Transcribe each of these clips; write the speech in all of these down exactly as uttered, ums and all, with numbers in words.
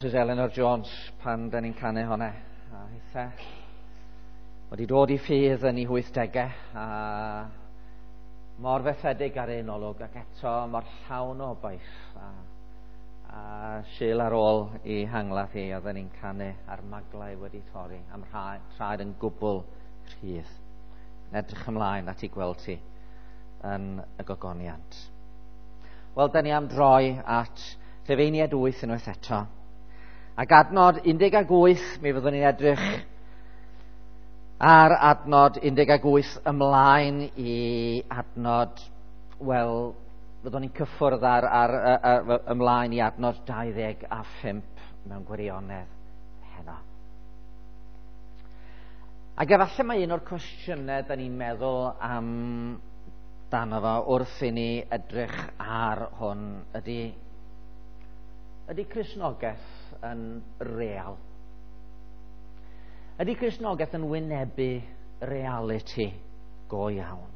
Mrs Eleanor Jones pan da ni'n canu hwnna. A hithe wedi dod i ffydd yn ei wythdegau a mor fethedig ar un olwg ac eto mor llawn o obaith. A, a Sul ar ôl i hangladd hi oedden ni'n canu a'r maglau wedi torri am traed yn gwbl rhydd. Edrych ymlaen at ei gweld ti yn y gogoniant. Wel, da ni am droi at Rhufeiniaid wyth unwaith eto. Ac adnod un deg wyth, mi fyddwn ni'n edrych ar adnod un deg wyth ymlaen i adnod, wel, fyddwn ni'n cyffwrdd ar, ar, ar, ar, ymlaen i adnod dau ddeg a phump mewn gwirionedd heno. Ac efallai mae un o'r cwestiynau da ni'n meddwl am dano fo wrth i ni edrych ar hwn ydy, ydy Cristnogaeth yn real? Ydy Cristnogaeth yn wynebu reality go iawn?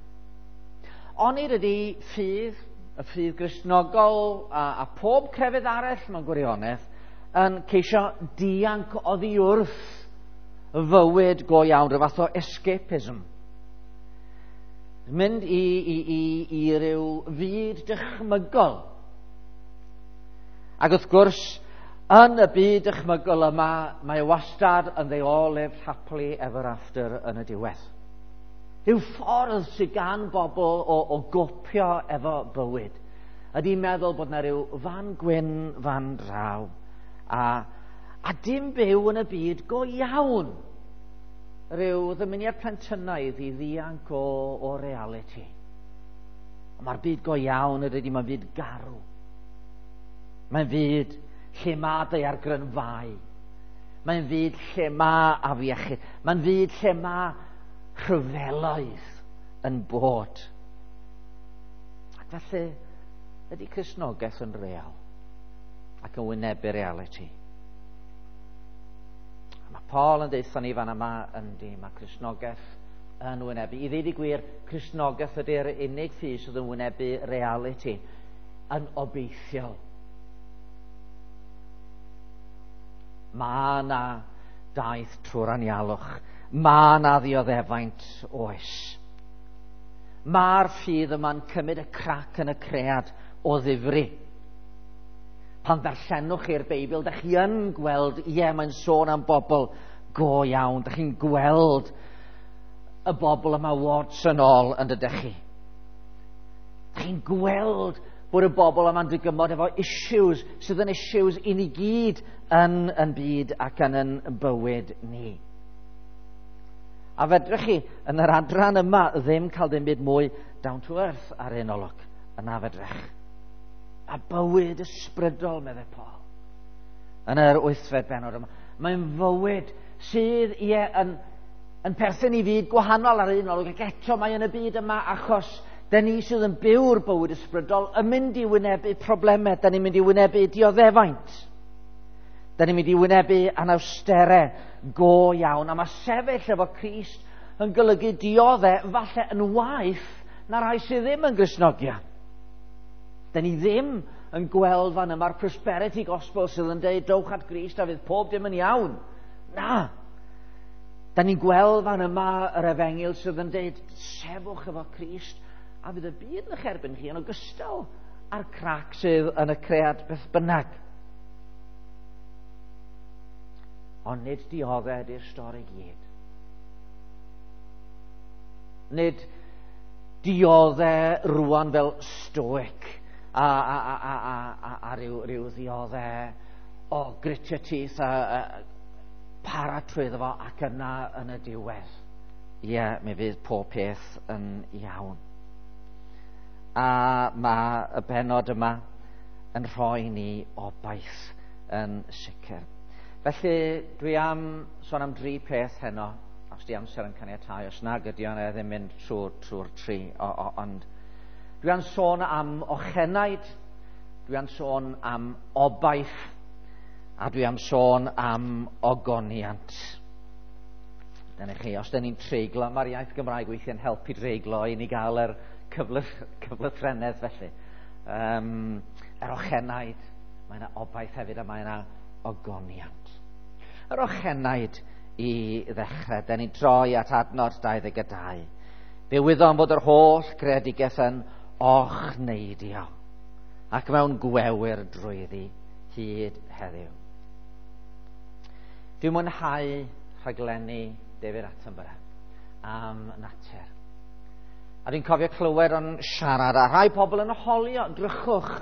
Onid ydy ffydd, y ffydd Gristnogol a, a pob crefydd arall mewn gwirionedd yn ceisio dianc oddi wrth fywyd go iawn, rhyw fath o escapism? Mynd i, i, i, i ryw fyd dychmygol. Ac wrth gwrs, yn y byd dychmygol yma, mae wastad yn they all lived happily ever after yn y diwedd. Rhyw ffordd sydd gan bobl o, o gopio efo bywyd ydy meddwl bod yna rhyw fan gwyn fan draw a, a dim byw yn y byd go iawn. Rhyw ddymuniad plentynaidd i ddianc o, o reality. Ond mae'r byd go iawn ydy, mae'n fyd garw. Mae'n fyd lle mae daeargrynfâu. Mae'n fyd lle mae afiechyd. Mae'n fyd lle mae rhyfeloedd yn bod. Ac felly, ydy Cristnogaeth yn real ac yn wynebu reality? A mae Paul yn deutha ni fan yma, yndi, mae Cristnogaeth yn wynebu. I ddeud y gwir, Cristnogaeth ydy'r unig ffydd sydd yn wynebu reality yn obeithiol. Mae yna daith trwy'r anialwch. Mae yna ddioddefaint oes. Mae'r ffydd yma'n cymryd y crac yn y cread o ddifri. Pan ddarllenwch chi'r Beibl, da chi yn gweld, ie, mae'n sôn am bobl go iawn. Da chi'n gweld y bobl yma warts yn ôl yn dydych chi. Da chi'n gweld bod y bobl yma'n dygymod efo issues sydd yn issues i ni gyd yn, yn byd ac yn yn bywyd ni. A fedrwch chi yn yr adran yma ddim cael dim byd mwy down to earth ar un olwg. Yna fedrwch. A bywyd ysbrydol, meddai Paul, yn yr wythfed bennod yma. Mae'n fywyd sydd, ie, yn, yn perthyn i fyd gwahanol ar un olwg, ac eto mae yn y byd yma achos da ni sydd yn byw'r bywyd ysbrydol yn mynd i wynebu problemau, da ni'n mynd i wynebu dioddefaint, da ni'n mynd i wynebu anawsterau go iawn, a mae sefyll efo Crist yn golygu diodde falle yn waeth na rai sydd ddim yn Gristnogion. Da ni ddim yn gweld fan yma'r prosperity gospel sydd yn dweud dowch at Grist a fydd pob dim yn iawn. Na. Da ni'n gweld fan yma yr efengyl sydd yn dweud sefwch efo Crist a fydd y byd yn eich erbyn chi yn ogystal â'r crac sydd yn y cread beth bynnag. Ond nid diodde ydy'r stori gyd. Nid diodde rwan fel stoic a, a, a, a, a, a, a ryw, ryw ddiodde o grit your teeth a, a para trwyddo fo ac yna yn y diwedd. Ie, yeah, mi fydd pob peth yn iawn. A mae y bennod yma yn rhoi ni obaith yn sicr. Felly, dwi am sôn am dri peth heno, os di amser yn caniatáu, os nag ydi o'n ddim mynd trwy'r trwy'r tri, o, o, ond dwi am sôn am ochenaid, dwi am sôn am obaith, a dwi am sôn am ogoniant. Dyna chi, os dyn ni'n treiglo, mae'r iaith Gymraeg weithiau'n helpu dreiglo i ni gael yr cyflythrennedd felly. Um, yr ochenaid, mae yna obaith hefyd a mae yna ogoniant. Yr ochenaid i ddechrau, da ni'n troi at adnod dau ddeg dau. Fe wyddom fod yr holl greadigaeth yn ochneidio ac mewn gwewyr drwyddi hyd heddiw. Dwi'n mwynhau rhaglenni David Attenborough am natur. A dwi'n cofio clywed o'n siarad a rhai pobl yn holio, drychwch.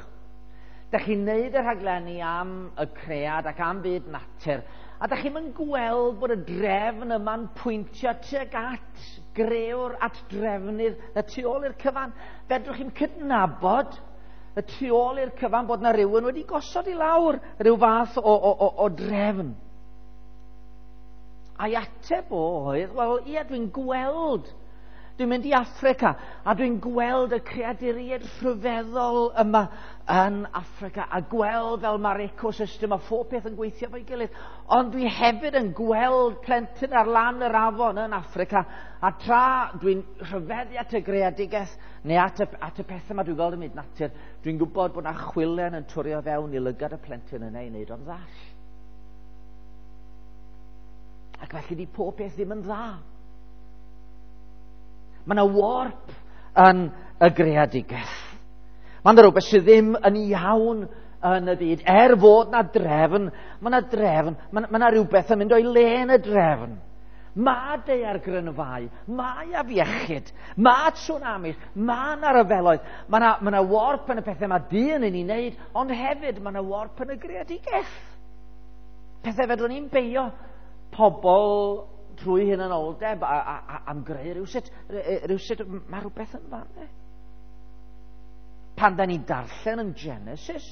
Dach chi'n neud y rhaglenni am y cread ac am byd natur, a dach chi'm yn gweld bod y drefn yma'n pwyntio tuag at grëwr, at drefnydd y tu ôl i'r cyfan. Fedrwch chi'm cydnabod y tu ôl i'r cyfan bod na rhywun wedi gosod i lawr rhyw fath o, o, o, o drefn. A'i ateb o oedd, wel, ie, dwi'n gweld. Dwi'n mynd i Affrica a dwi'n gweld y creaduriaid rhyfeddol yma yn Affrica a gweld fel mae'r ecosystem a phob peth yn gweithio efo'i gilydd. Ond dwi hefyd yn gweld plentyn ar lan yr afon yn Affrica, a tra dwi'n rhyfeddu at y greadigaeth neu at y, at y pethau yma dwi'n gweld ym myd natur, dwi'n gwybod bod na chwilen yn twrio fewn i lygad y plentyn yna i wneud o'n ddall. Ac felly di pob peth ddim yn dda. Mae yna warp yn y greadigaeth. Mae yna rhywbeth sydd ddim yn iawn yn y byd. Er fod na drefn, mae yna drefn, mae yna rhywbeth yn mynd o'i le yn y drefn. Mae daeargrynfâu, mae afiechyd, mae tsunamis, mae yna ryfeloedd, mae yna, mae yna warp yn y pethau mae dyn yn ei wneud, ond hefyd mae yna warp yn y greadigaeth. Pethau fedrwn ni'n beio pobl trwy hunanoldeb a, a, a, am greu rhywsut, rhywsut, mae rhywbeth yn fan. Pan da ni'n darllen yn Genesis,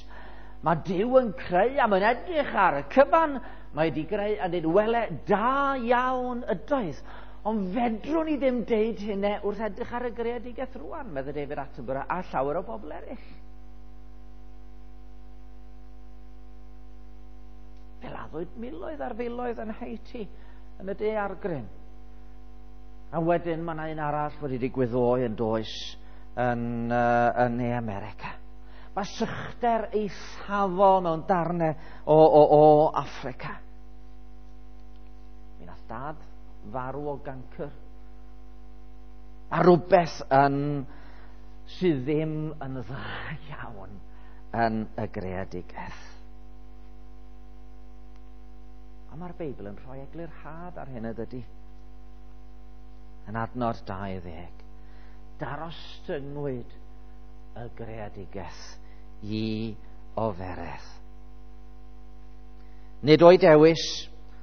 mae Duw yn creu a mae'n edrych ar y cyfan, mae wedi greu a dweud, wele, da iawn ydoedd. Ond fedrwn ni ddim deud hynny wrth edrych ar y greadigaeth rwan, meddai David Attenborough a llawer o bobl eraill. Fe laddwyd miloedd ar filoedd yn Haiti, yn y daeargryn. A wedyn mae yna un arall wedi digwydd ddoe yn does yn, uh, yn Ne America. Mae sychder eithafol mewn darnau o, o, o Affrica. Mi nath dad farw o gancr. A rhywbeth yn, sydd ddim yn dda iawn yn y greadigaeth. A mae'r Beibl yn rhoi eglurhad ar hyn ydy. Yn adnod dau ddeg. Darostyngwyd y greadigaeth i oferedd. Nid o'i dewis,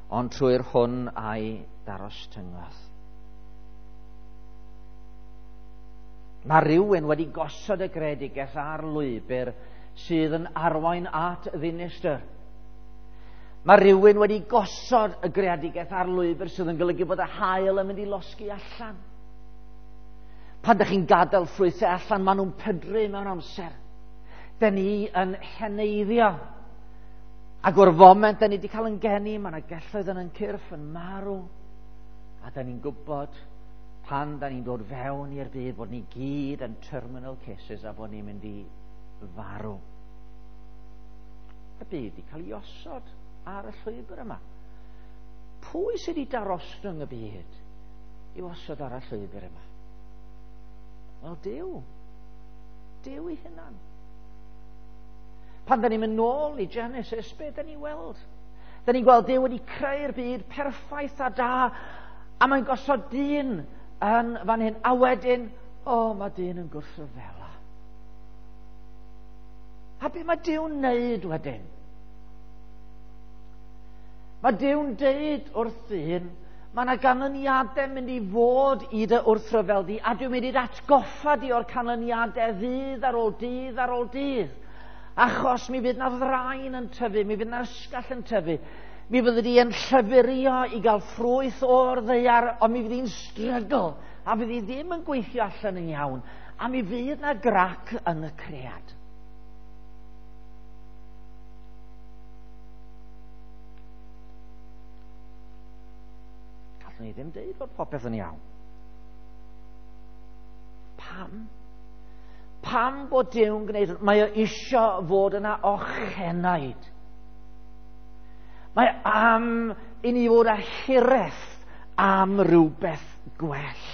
ond trwy'r hwn a'i darostyngodd. Mae rhywun wedi gosod y greadigaeth ar lwybr sydd yn arwain at ddinistr. Mae rhywun wedi gosod y greadigaeth ar lwybr sydd yn golygu bod y haul yn mynd i losgi allan. Pan ydych chi'n gadael ffrwythau allan, maen nhw'n pydru mewn amser. Dyn ni yn heneiddio. Ac o'r foment dyn ni wedi cael yn geni, mae yna gelloedd yn ein cyrff yn marw. A dyn ni'n gwybod pan dyn ni'n dod fewn i'r byd bod ni gyd yn terminal cases a bod ni'n mynd i farw. Y byd wedi cael ei osod ar y llwybr yma. Pwy sydd wedi darostwng y byd i'w osod ar y llwybr yma? Wel, Duw. Duw ei hunan. Pan da ni'n mynd nôl i Genesis, be da ni'n weld? Da ni'n gweld Duw wedi creu'r byd perffaith a da, a mae'n gosod dyn yn fan hyn, a wedyn, o, oh, mae dyn yn gwrthryfela. A be mae Duw'n neud wedyn? Mae Duw'n deud wrth ddyn, mae yna ganlyniadau mynd i fod i dy wrthryfel di, a dwi'n mynd i'r atgoffa di o'r canlyniadau ddydd ar ôl dydd ar ôl dydd. Achos mi fydd na ddraen yn tyfu, mi fydd na ysgall yn tyfu, mi fyddi di yn llyfurio i gael ffrwyth o'r ddaear, ond mi fydd hi'n strygl, a fydd hi ddim yn gweithio allan yn iawn, a mi fydd na grac yn y cread. Gallwn ni ddim deud bod popeth yn iawn. Pam? Pam bod Duw'n gwneud? Mae o isio fod yna ochenaid. Mae am i ni fod â hiraeth am rhywbeth gwell.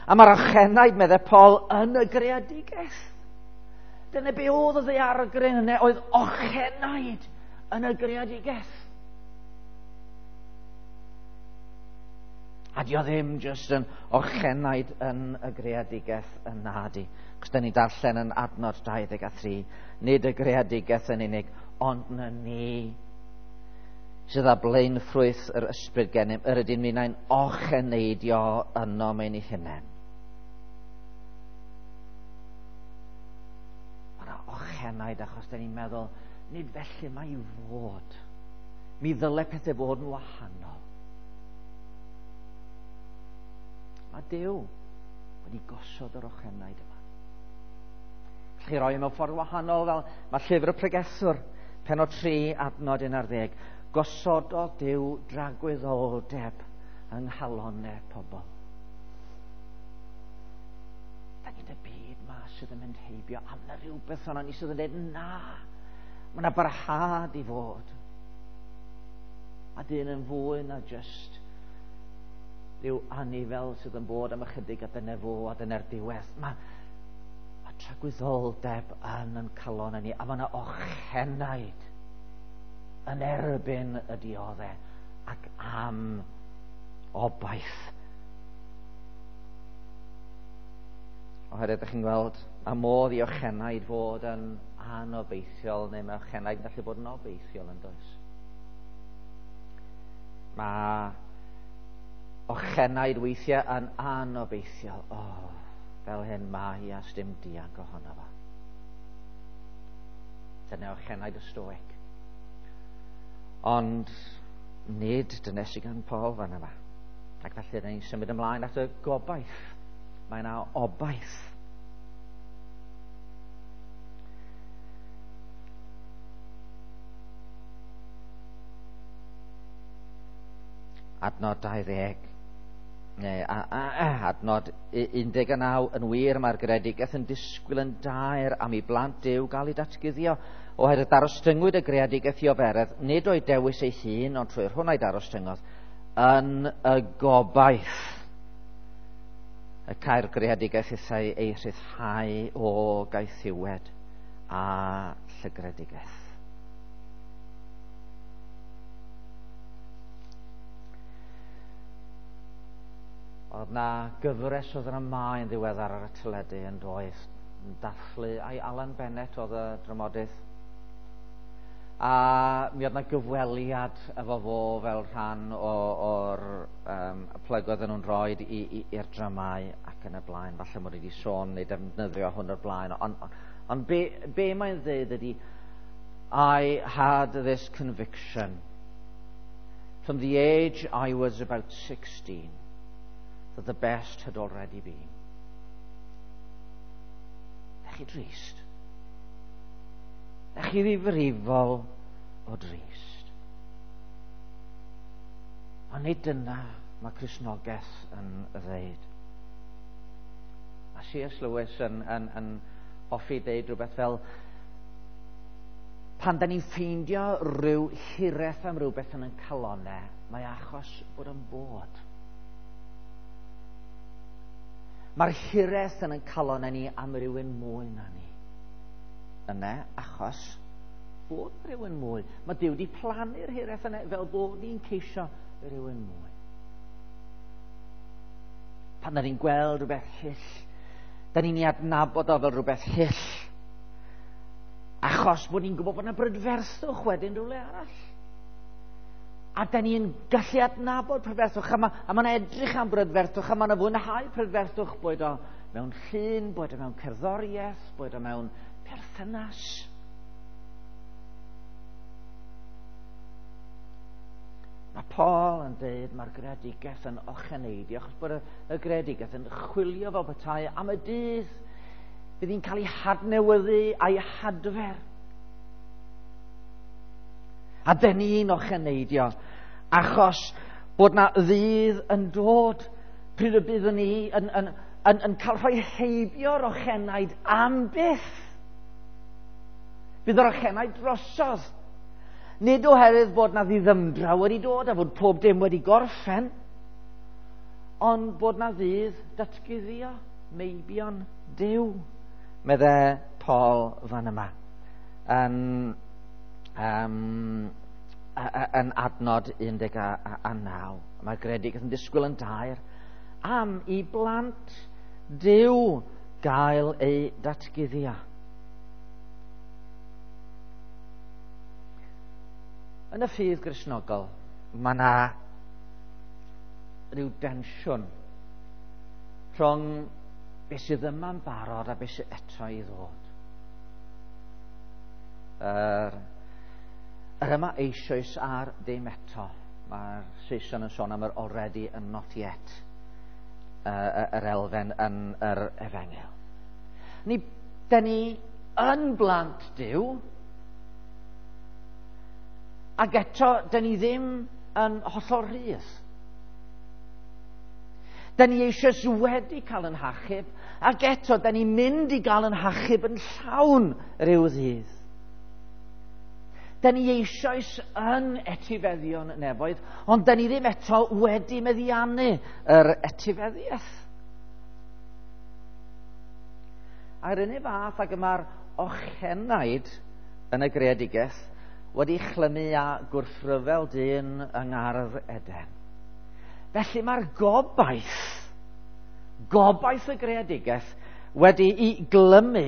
A mae'r ochenaid, meddai Paul, yn y greadigaeth. Dyna be oedd y ddaeargryn yna, oedd ochenaid yn y greadigaeth. A di o ddim jyst yn ochenaid yn y greadigaeth yna di. Cos da ni darllen yn adnod dau ddeg a thri, nid y greadigaeth yn unig, ond na ni sydd â blaenffrwyth yr ysbryd gennym, yr ydyn ni'n ocheneidio yno mewn ei hunain. Mae yna ochenaid achos da ni'n meddwl, nid felly mae i fod. Mi ddyle pethau fod yn wahanol. Mae Duw wedi gosod yr ochenaid yma. Chi roi mewn ffordd wahanol fel mae llyfr y pregethwr, pennod tri, adnod un ar ddeg. Gosododd Duw dragwyddoldeb yng nghalonnau pobl. Da ni'n y byd ma sydd yn mynd heibio, a mae rhywbeth yna ni sydd yn dweud na. Mae yna barhad i fod. A dyn yn fwy na just rhyw anifel sydd yn bod am ychydig a dyna fo a dyna'r diwedd. Mae, mae tragwyddoldeb yn yn calon ni, a mae yna ochenaid yn erbyn y dioddau ac am obaith. Oherwydd ydych chi'n gweld, mae modd i ochenaid fod yn anobeithiol, neu mae ochenaid yn gallu bod yn obeithiol yn does. Mae ochenaid weithiau yn anobeithiol. O, oh, fel hyn mae hi a sdim dianc ohono fo. Dyna ochenaid y stoic. Ond nid dyna sydd gan Paul fan yma. Ac felly rydyn ni'n symud ymlaen at y gobaith. Mae yna obaith. Adnod dau ddeg, neu a, a, a, adnod un deg naw, yn wir mae'r greadigaeth yn disgwyl yn daer am i blant Duw gael ei datguddio. Oherwydd darostyngwyd y greadigaeth i oferedd, nid o'i dewis ei hun, ond trwy'r hwn a'i darostyngodd, yn y gobaith y cael greadigaeth ithau ei rhyddhau o gaethiwed a llygredigaeth. Oedd na gyfres o ddramâu yn ddiweddar ar y teledu yn doedd, yn dathlu, ai Alan Bennett oedd y dramodydd. A mi oedd na gyfweliad efo fo fel rhan o'r um, plyg oedden nhw'n rhoi i'r dramau ac yn y blaen. Falle mod i wedi sôn neu defnyddio hwn o'r blaen. Ond on, on be, be mae'n dweud ydy, I had this conviction from the age I was about sixteen that the best had already been. Ydych chi drist? Ydych chi ddifrifol o drist? Ond nid dyna mae Cristnogaeth yn ddeud. Mae C S Lewis yn, yn, yn hoffi deud rhywbeth fel, pan da ni'n ffeindio rhyw hiraeth am rhywbeth yn ein calonnau, mae achos bod yn bod. Mae'r hiraeth yn ein calonnau ni am rhywun mwy na ni. Yna, achos bod rhywun mwy. Mae Duw wedi plannu'r hiraeth yna fel bod ni'n ceisio rhywun mwy. Pan da ni'n gweld rhywbeth hyll, da ni'n ei adnabod o fel rhywbeth hyll. Achos bod ni'n gwybod bod yna brydferthwch wedyn rhywle arall. A da ni'n gallu adnabod prydferthwch, a mae ma yna edrych am brydferthwch, a mae yna fwynhau prydferthwch, boed o mewn llun, boed o mewn cerddoriaeth, boed o mewn perthynas. Mae Paul yn dweud mae'r greadigaeth yn ocheneidio, achos bod y, y greadigaeth yn chwilio fel petai am y dydd fydd hi'n cael ei hadnewyddu a'i hadfer. A dyn ni'n ocheneidio, achos bod na ddydd yn dod pryd y byddwn ni yn, yn, yn, yn cael rhoi heibio'r ochenaid am byth. Bydd yr ochenaid drosodd. Nid oherwydd bod na ddiddymdra wedi dod a fod pob dim wedi gorffen, ond bod na ddydd datguddio meibion Duw, medde Paul fan yma, yn, um, yn adnod un deg naw. Mae'r greadigaeth yn disgwyl yn daer am i blant Duw gael eu datguddio. Yn y ffydd Gristnogol, mae yna rhyw densiwn rhwng beth sydd yma'n barod a beth sydd eto i ddod. Yr, yr yma eisoes a'r ddim eto. Mae'r Saeson yn sôn am yr already and not yet, uh, yr elfen yn yr efengyl. Ni, da ni yn blant Duw, ac eto, da ni ddim yn hollol rhydd. Da ni eisoes wedi cael yn hachub, ac eto, da ni'n mynd i gael yn hachub yn llawn rhyw ddydd. Da ni eisoes yn etifeddion nefoedd, ond da ni ddim eto wedi meddiannu yr etifeddiaeth. A'r unig fath ag y mae'r ochenaid yn y greadigaeth wedi chlymu â gwrthryfel dyn yng Ngardd Eden. Felly mae'r gobaith, gobaith y greadigaeth, wedi'i glymu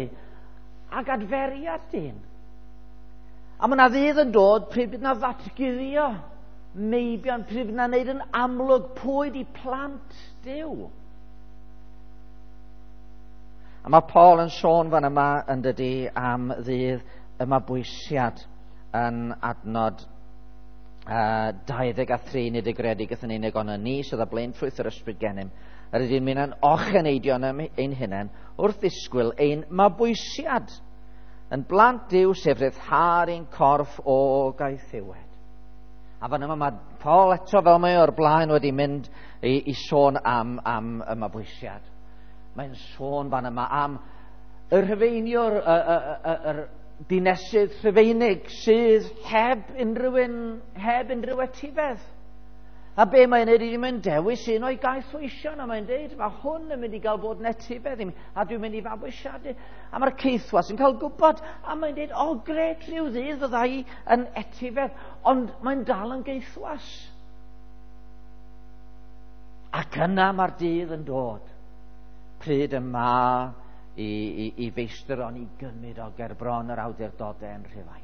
ag adferiad dyn. A mae yna ddydd yn dod pryd bydd yna ddatguddio meibion, pryd bydd yna wneud yn amlwg pwy di plant Duw. A mae Paul yn sôn fan yma yn dydi am ddydd y mabwysiad yn adnod uh, dau ddeg a thri, nid y greadigaeth yn unig, ond y ni sydd â blaenffrwyth yr ysbryd gennym. Yr ydym ni'n yn ocheneidio ein hunain wrth ddisgwyl ein mabwysiad yn blant Duw, sef rhyddhad ein corff o gaethiwed. A fan yma mae Paul eto, fel mae o'r blaen, wedi mynd i, i sôn am, am y mabwysiad. Mae'n sôn fan yma am y Rhufeiniwr, y, y, y, y, y dinesydd Rhufeinig sydd heb unrhyw un, heb unrhyw etifedd. A be mae'n neud ydy mae'n dewis un o'i gaethweision, a mae'n deud, mae hwn yn mynd i gael bod yn etifedd i mi, a dwi'n mynd i fabwysiadu. A mae'r caethwas yn cael gwybod, a mae'n deud, o gret, rhyw ddydd fydda i yn etifedd, ond mae'n dal yn gaethwas. Ac yna mae'r dydd yn dod, pryd y ma i, i, i feistr o'n i gymryd o gerbron yr awdurdodau yn Rhufain.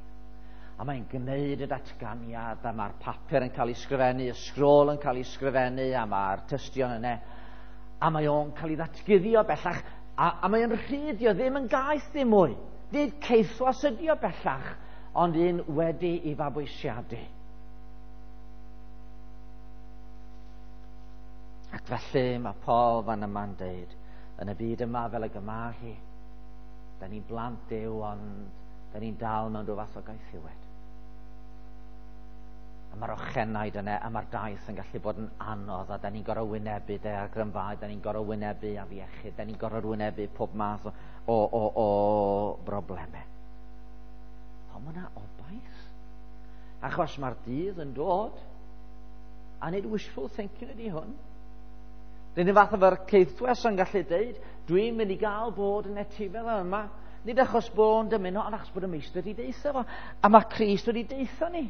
A mae'n gwneud y datganiad, a mae'r papur yn cael ei sgrifennu, y sgrôl yn cael ei sgrifennu, a mae'r tystion yna. A mae o'n cael ei ddatguddio bellach, a, a mae'n rhydd, dio ddim yn gaeth ddim mwy. Nid caethwas ydi o bellach, ond un wedi i fabwysiadu. Ac felly mae Paul fan yma'n deud, yn y byd yma fel y gyma hi, da ni'n blant Duw, ond da ni'n dal mewn rhyw fath o gaethiwed. A mae'r ochenaid yna, a mae'r daith yn gallu bod yn anodd, a da ni'n gorfod wynebu daeargrynfâu, da ni'n gorfod wynebu afiechyd, da ni'n gorfod wynebu pob math o, o, o, o broblemau. Ond mae yna obaith. Achos mae'r dydd yn dod, a nid wishful thinking ydy hwn. Dyn ni fath efo'r caethwes yn gallu deud, dwi'n mynd i gael bod yn etifedd yma. Nid achos bod o'n dymuno, ond achos bod y meistr wedi deutha fo. A mae Crist wedi deutha ni.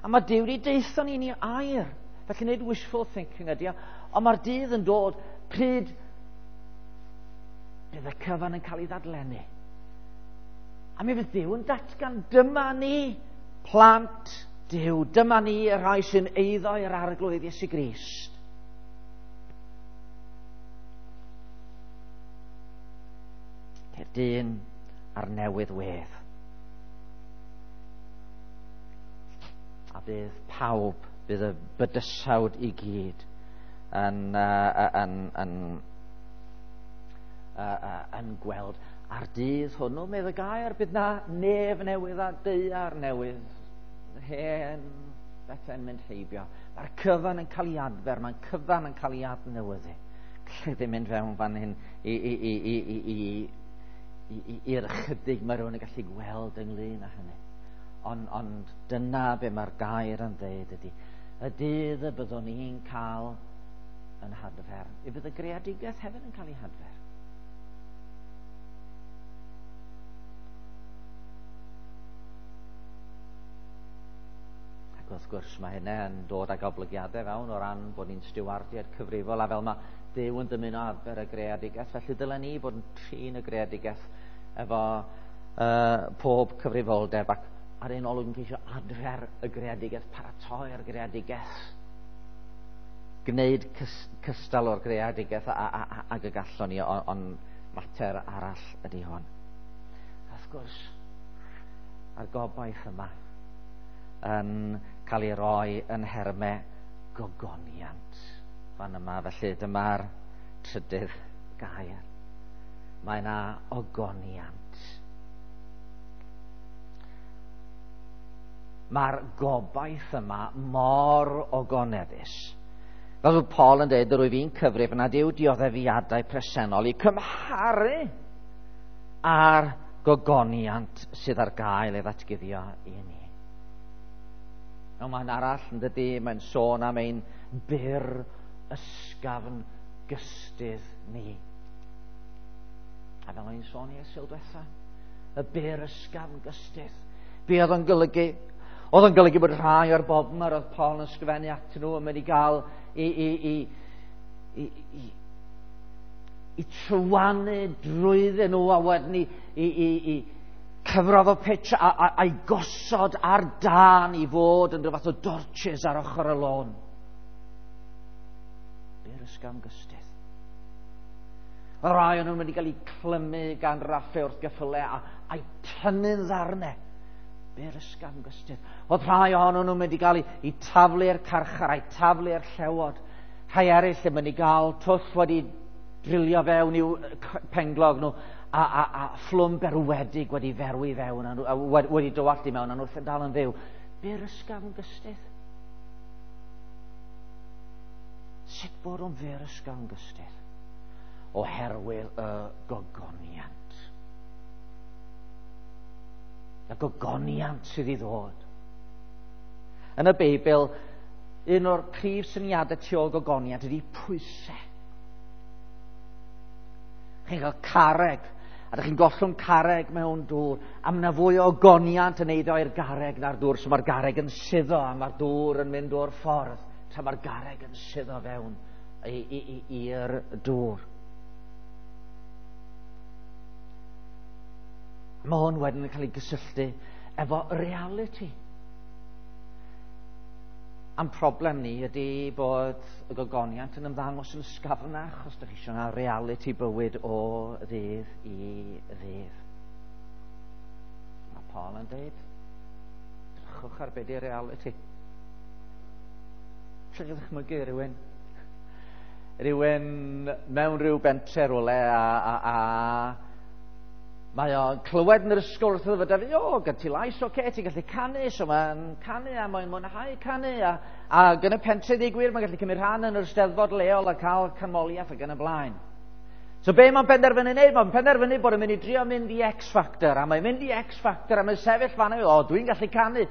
A mae Duw wedi deutha ni ni air. Felly nid wishful thinking ydy o. Ond mae'r dydd yn dod pryd bydd y cyfan yn cael ei ddadlennu. A mi fydd Duw yn datgan, dyma ni, plant Duw. Dyma ni y rhai sy'n eiddo i'r Arglwydd Iesu Grist. Ceir dyn ar newydd wedd. A bydd pawb, bydd y bydysawd i gyd yn, uh, yn, yn, uh, uh, yn gweld. A'r dydd hwnnw, medd y gair, bydd na nef newydd a daear newydd. Hen bethau'n mynd heibio. Mae'r cyfan yn cael ei adfer, mae'r cyfan yn cael ei adnewyddu. Gallai ddim mynd fewn fan hyn i, i, i, i, i, i i'r ychydig mae rhywun yn gallu gweld ynglyn â hynny. Ond, ond dyna be mae'r gair yn dweud ydy, y dydd y byddwn ni'n cael yn hadfer, y bydd y greadigaeth hefyd yn cael ei hadfer. Ac wrth gwrs mae hynny yn dod ag oblygiadau fewn o ran bod ni'n stiwardiad cyfrifol, a fel mae Duw yn dymuno adfer y greadigaeth, felly dylen ni fod yn trin y greadigaeth efo uh, pob cyfrifoldeb, ac ar un olwg yn ceisio adfer y greadigaeth, paratoi'r greadigaeth, gwneud cystal o'r greadigaeth ag y gallwn ni, ond mater arall ydy hwn. Wrth gwrs, a'r gobaith yma yn cael ei roi yn nhermau gogoniant fan yma. Felly dyma'r trydydd gair. Mae yna ogoniant. Mae'r gobaith yma mor ogoneddus. Fel oedd Paul yn dweud, yr wyf fi'n cyfrif nad yw dioddefiadau presennol i cymharu â'r gogoniant sydd ar gael ei ddatguddio i ni. Mewn man arall, yn dydy, mae'n sôn am ein byr ysgafn gystydd ni. A fel o'n i'n sôn i Sul diwetha, y byr ysgafn gystydd. Be oedd o'n golygu? Oedd o'n golygu bod rhai o'r bobl yma oedd Paul yn ysgrifennu atyn nhw yn mynd i gael i, i, i, i, i, i trywanu drwyddyn nhw, a wedyn i, i, i, i cyfrodd o pitch a, a, a'i gosod ar dân i fod yn rhyw fath o dorches ar ochr y lôn. Byr ysgafn gystydd. Oedd rhai o'n nhw'n mynd i gael eu clymu gan raffau wrth geffylau a, a'i tynnu'n ddarnau. Byr ysgafn gystydd. Oedd rhai ohonyn nhw'n mynd i gael eu taflu i'r carchar a'i taflu i'r llewod. Rhai eraill yn mynd i gael twll wedi drilio fewn i'w penglog nhw, a, a, a fflwm berwedig wedi ferwi fewn, a, a wedi dywallt i mewn, a nhw'n dal yn fyw. Byr ysgafn gystydd. Sut bod o'n fyr ysgafn gystydd? Oherwydd y gogoniant. Y gogoniant sydd i ddod. Yn y Beibl, un o'r prif syniadau tu ôl gogoniant ydy pwysau. Chi'n cael carreg, a ydych chi'n gollwng carreg mewn dŵr, a mae yna fwy o ogoniant yn eiddo i'r garreg na'r dŵr, so mae'r garreg yn suddo, a mae'r dŵr yn mynd o'r ffordd, tra mae'r garreg yn suddo fewn i'r dŵr. Mae hwn wedyn yn cael ei gysylltu efo reality. A'n problem ni ydy bod y gogoniant yn ymddangos yn ysgafnach os ydych chi eisiau na reality bywyd o ddydd i ddydd. Mae Paul yn dweud, drychwch ar be di reality. Lle chi ddychmygu rhywun? Rhywun mewn rhyw bentre rhywle a, a, a mae o'n clywed yn yr ysgol wrth iddo fo, o, gen ti lais, oce, okay, ti'n gallu canu, so mae'n canu a mae'n mwynhau canu, a, a yn y pentre ddeud gwir, mae'n gallu cymryd rhan yn yr eisteddfod leol a cael canmoliaeth ac yn y blaen. So be mae'n penderfynu wneud? Mae'n penderfynu bod yn mynd i drio mynd i X Factor, a mae'n mynd i X Factor, a mae'n sefyll fan o, dwi'n gallu canu.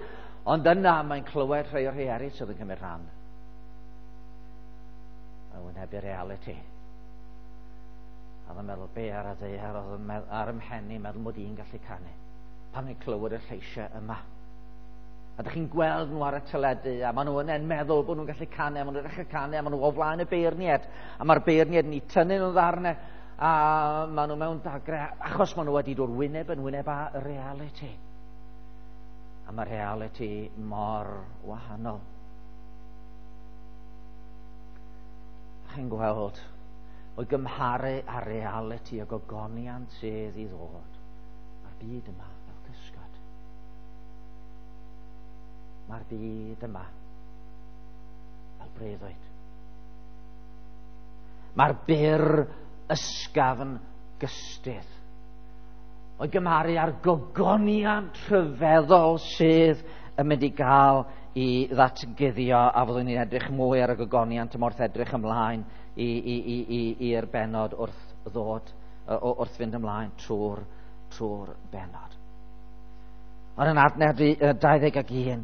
Ond yna mae'n clywed rhai o'r rhai eraill sydd yn cymryd rhan. Mae'n wynebu reality. A oedd yn meddwl, be ar y ddaear oedd ar ym mhen i, meddwl mod i'n gallu canu. Pan ni'n clywed y lleisiau yma. A ydych chi'n gweld nhw ar y teledu, a maen nhw yn meddwl bod nhw'n gallu canu, a maen nhw'n dechrau canu, a maen nhw o flaen y beirniad. A mae'r beirniad yn eu tynnu nhw'n ddarnau, a maen nhw mewn dagre, achos maen nhw wedi dod wyneb yn wyneb â reality. A mae reality mor wahanol. Chi'n gweld o'i gymharu â reality y gogoniant sydd i ddod. Mae'r byd yma fel cysgod. Mae'r byd yma fel breuddwyd. Mae'r byr ysgafn gystydd. O'i gymharu â'r gogoniant rhyfeddol sydd yn mynd i gael i ddatguddio, a fyddwn ni'n edrych mwy ar y gogoniant yma wrth edrych ymlaen i, i, i, i, i'r bennod wrth ddod, wrth fynd ymlaen trwy'r trwy'r bennod. Ond yn adnod dau ddeg ac un,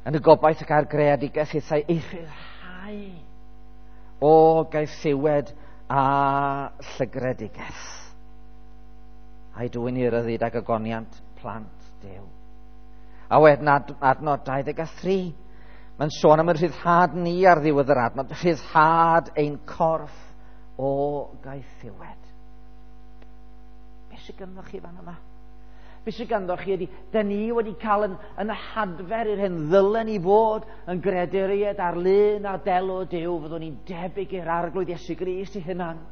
yn y gobaith y gael greadigaeth eithau ei rhyddhau o gaethiwed a llygredigaeth, a'i dwyn i ryddid ag ogoniant plant Duw. A wedyn adnod dau ddeg a thri, mae'n sôn am y rhyddhad ni ar ddiwedd yr adnod, rhyddhad ein corff o gaethiwed. Be sydd ganddo chi fan yma? Be sydd ganddo chi ydy, da ni wedi cael yn, yn hadfer i'r hyn ddylen i fod yn greaduriaid ar lun a delw Duw, fyddwn ni'n debyg i'r Arglwydd Iesu Grist i hunan.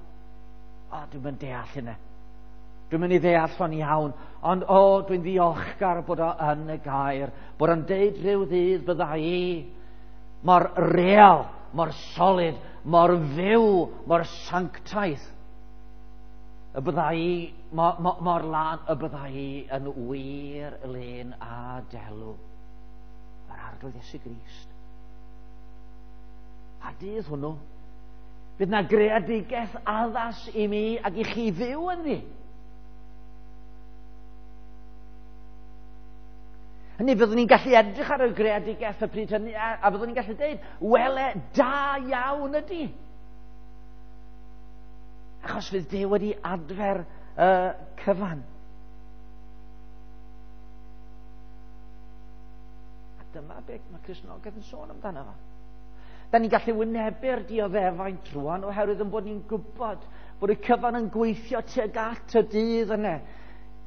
O, dwi'n mynd deall hynna. Dwi'n mynd i ddeall o'n iawn, ond o, dwi'n ddiolchgar bod o yn y gair, bod o'n deud rhyw ddydd bydda i mor real, mor solid, mor fyw, mor sanctaidd, y bydda i mor, mor, mor lân, y bydda i yn wir lun a delw yr Arglwydd Iesu Grist. A dydd hwnnw, bydd na greadigaeth addas i mi ac i chi fyw ynddi. Hynny, byddwn ni'n gallu edrych ar y greadigaeth y pryd hynny, a, a byddwn ni'n gallu dweud, wele, da iawn ydy. Achos fydd Duw wedi adfer y uh, cyfan. A dyma beth mae Cristnogaeth yn sôn amdano fo. Da ni'n gallu wynebu'r dioddefaint rwan oherwydd yn bod ni'n gwybod bod y cyfan yn gweithio tuag at y dydd yna.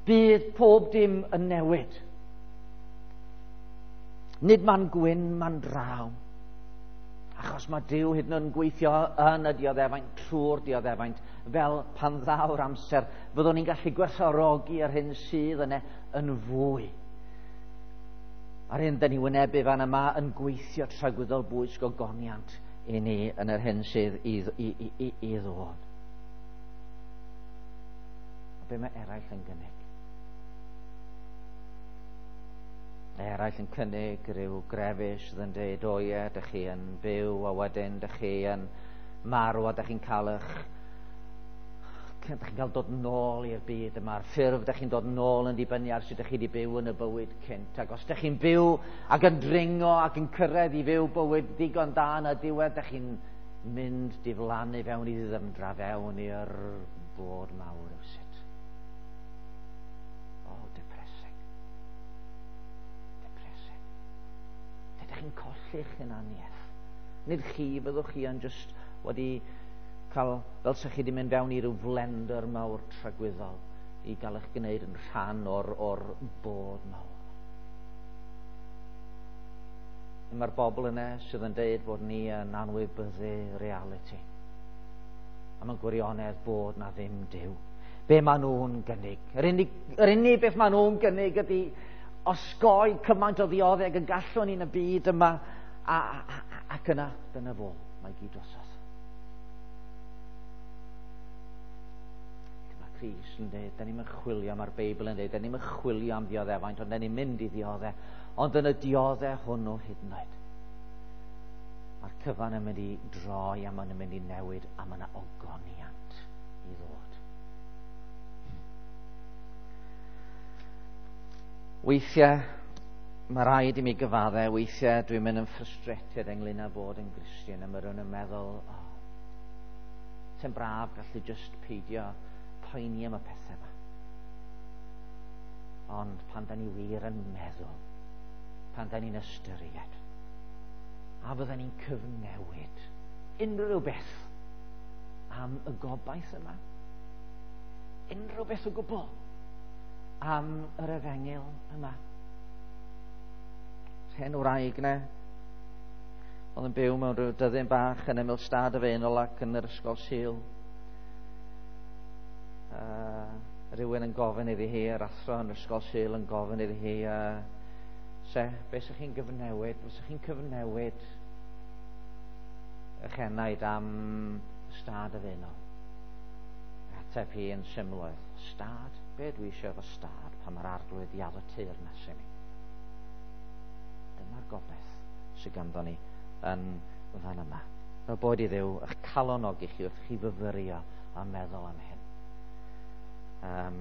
Bydd pob dim yn newid. Nid man gwyn, man draw. Achos mae Duw hyd yn oed yn gweithio yn y dioddefaint, trwy'r dioddefaint, fel pan ddaw'r amser, fyddwn ni'n gallu gwerthfawrogi yr hyn sydd yna yn fwy. A'r hyn dyn ni wynebu fan yma yn gweithio tragwyddol bwys gogoniant i ni yn yr hyn sydd i, i, i, i, i ddod. A be mae eraill yn gynnig? Eraill yn cynnig rhyw grefus sydd yn dweud, o ie, dych chi yn byw a wedyn dych chi yn marw a dych chi'n cael eich dych chi'n cael dod nôl i'r byd yma. A'r ffurf dych chi'n dod nôl yn dibynnu ar sut dych chi wedi byw yn y bywyd cynt. Ac os dych chi'n byw ac yn dringo ac yn cyrraedd i fyw bywyd digon da yn y diwedd, dych chi'n mynd diflannu fewn i ddiddymdra, fewn i'r bod mawr rywsut. O, oh, depressing. Depressing. Dych chi'n colli'ch hunaniaeth. Nid chi, byddwch chi yn just wedi cael, fel sa chi wedi mynd fewn i ryw flender mawr tragwyddol i gael eich gwneud yn rhan o'r, or bod mawr. Mae'r bobl yna sydd yn deud bod ni yn anwybyddu reality. A mae'n gwirionedd bod na ddim Duw. Be maen nhw'n gynnig? Yr unig, yr unig beth maen nhw'n gynnig ydy osgoi cymaint o ddioddeg y gallwn ni'n y byd yma, a, a, a, ac yna, dyna fo, mae gyd drosodd. Dyma Crist yn dweud, da ni'n chwilio, mae'r Beibl yn dweud, da ni'n chwilio am ddioddefaint, ond da ni'n mynd i ddiodde, ond yn y diodde hwnnw hyd yn oed. Mae'r cyfan yn mynd i droi a mae'n mynd i newid a mae yna ogoniant i ddod. Weithiau, mae rhaid i mi gyfadde, weithiau dwi'n mynd yn frustrated ynglyn â bod yn Gristion, a mae rhywun yn meddwl, oh, sy'n braf gallu just peidio poeni am y pethau yma. Ond pan da ni wir yn meddwl, pan da ni'n ystyried, a fydda ni'n cyfnewid unrhyw beth am y gobaith yma, unrhyw beth o gwbl am yr efengyl yma. Hen wraig ne, oedd yn byw mewn rhyw dyddyn bach yn ymyl stad y Faenol ac yn yr ysgol Sul. Uh, rhywun yn gofyn iddi hi, yr athro yn yr ysgol Sul yn gofyn iddi hi, uh, se, be sa'ch chi'n gyfnewid? Be sa'ch chi'n cyfnewid eich enaid am stad y Faenol? Ateb hi yn syml oedd, stad? Be dwi eisiau efo stad pan mae'r Arglwydd i addo teyrnas i mi? Dyma'r gobaith sydd ganddo ni yn fan yma. Fel bod i Dduw eich calonogi chi wrth chi fyfyrio a meddwl am hyn. Um,